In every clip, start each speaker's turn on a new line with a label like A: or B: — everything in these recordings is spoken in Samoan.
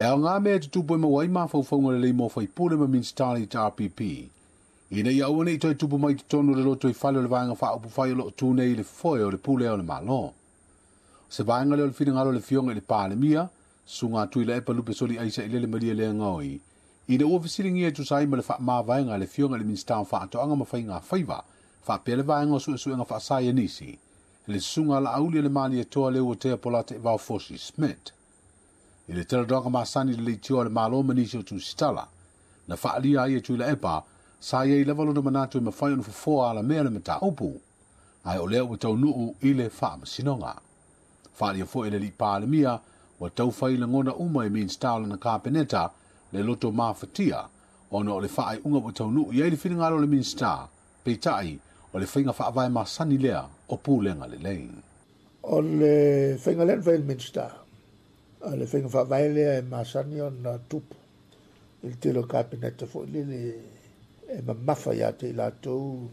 A: E aoga mea e tutupu e maua ai mafaufauga lelei mo faipule ma Minisita o le HRPP, ina ia aua ne i toe tupu mai i totonu o le lotoifale o le Vaega Faaupufai o lo o tu nei i le foe o le pulea o le Malo. O se vaega lea o le finagalo o le Afioga i le Palemia, Susuga Tuilaepa Lupesoli Aisa Ilele Malielegaoi, ina ua fesiligia e tusa ai ma le faamavaega a le Afioga i le Minisita o Faatoaga ma Faiga Faiva faapea le Vaega o Suesuega Faasaienisi, le Susuga Laauli o le Malietoa Leuatea Polataivao Fosi Smith. I le talanoaga masani i le leitioa a le Malo ma nisi o tusitala, na faaalia ai e Tuilaepa, sa i ai lava lona manatu e mafai ona fofoa alamea le mataupu, ae o lea ua taunuu i le faamasinoga. Faaalia foi e le alii Palemia, ua taufai lagona uma e Minisita o lana Kapeneta le loto mafatia ona o le faaiuga ua taunuu i ai le finagalo o le Minisita, peitai o le faiga faavae masani lea o pulega lelei.
B: O le faiga lea na fai e le Minisita, o le faiga faavae lea e masani ona tupu i le tele o Kapeneta foi lele e mamafa ia te i latou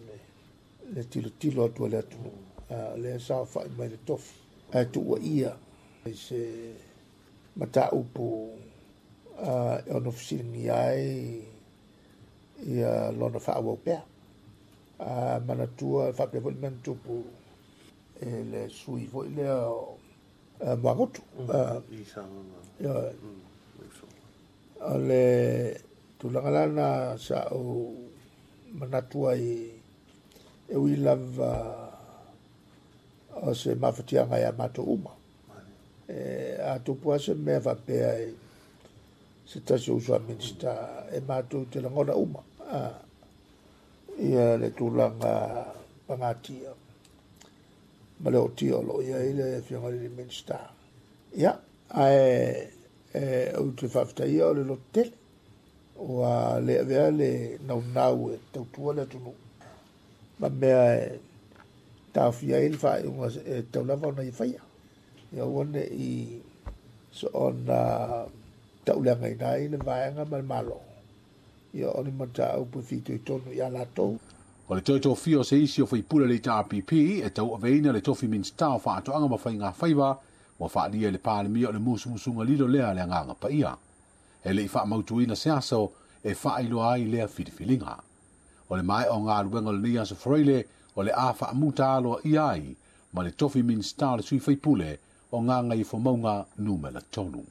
B: le tilotilo atu a le atunuu. O lea e saofai mai le tofi ae tuuaia i se mataupu e ono fesiligia ai ia lona faaauau pea. Manatua faapea foi le mea na tupu i le sui foi lea o Muagutu. O le tulaga la na sa ou manatu ai e ui lava o se mafatiaga ia matou uma. A tupu lava se mea faapea i se tasi o uso a Minisita, e matou te lagona uma ia le tulaga pagatia ma le ootia o lo o i ai le Afioga i le Minisita. Ia, ae ou te faafetaia o le lototele, ua le avea le naunau e tautua le atunuu ma mea e taofia ai le faaiuga e tatau lava ona ia faia. Ia aua ne i soona tauleagaina ai le vaega ma le Malo, ia o ni mataupu e fitoitonu ia latou.
A: O le toe tofia o se isi o faipule o le HRPP e tauaveina le tofi Minisita o Faatoaga ma Faiga Faiva, ua faaalia e le Palemia o le musumusuga lilo lea a le Agaga Paia. E le i faamautuina se aso e faailoa ai lea filifiliga. O le maea o galuega o lenei aso Faraile, o le a faamuta aloaia ai ma le tofi Minisita o le sui faipule o Gagaifomauga 3.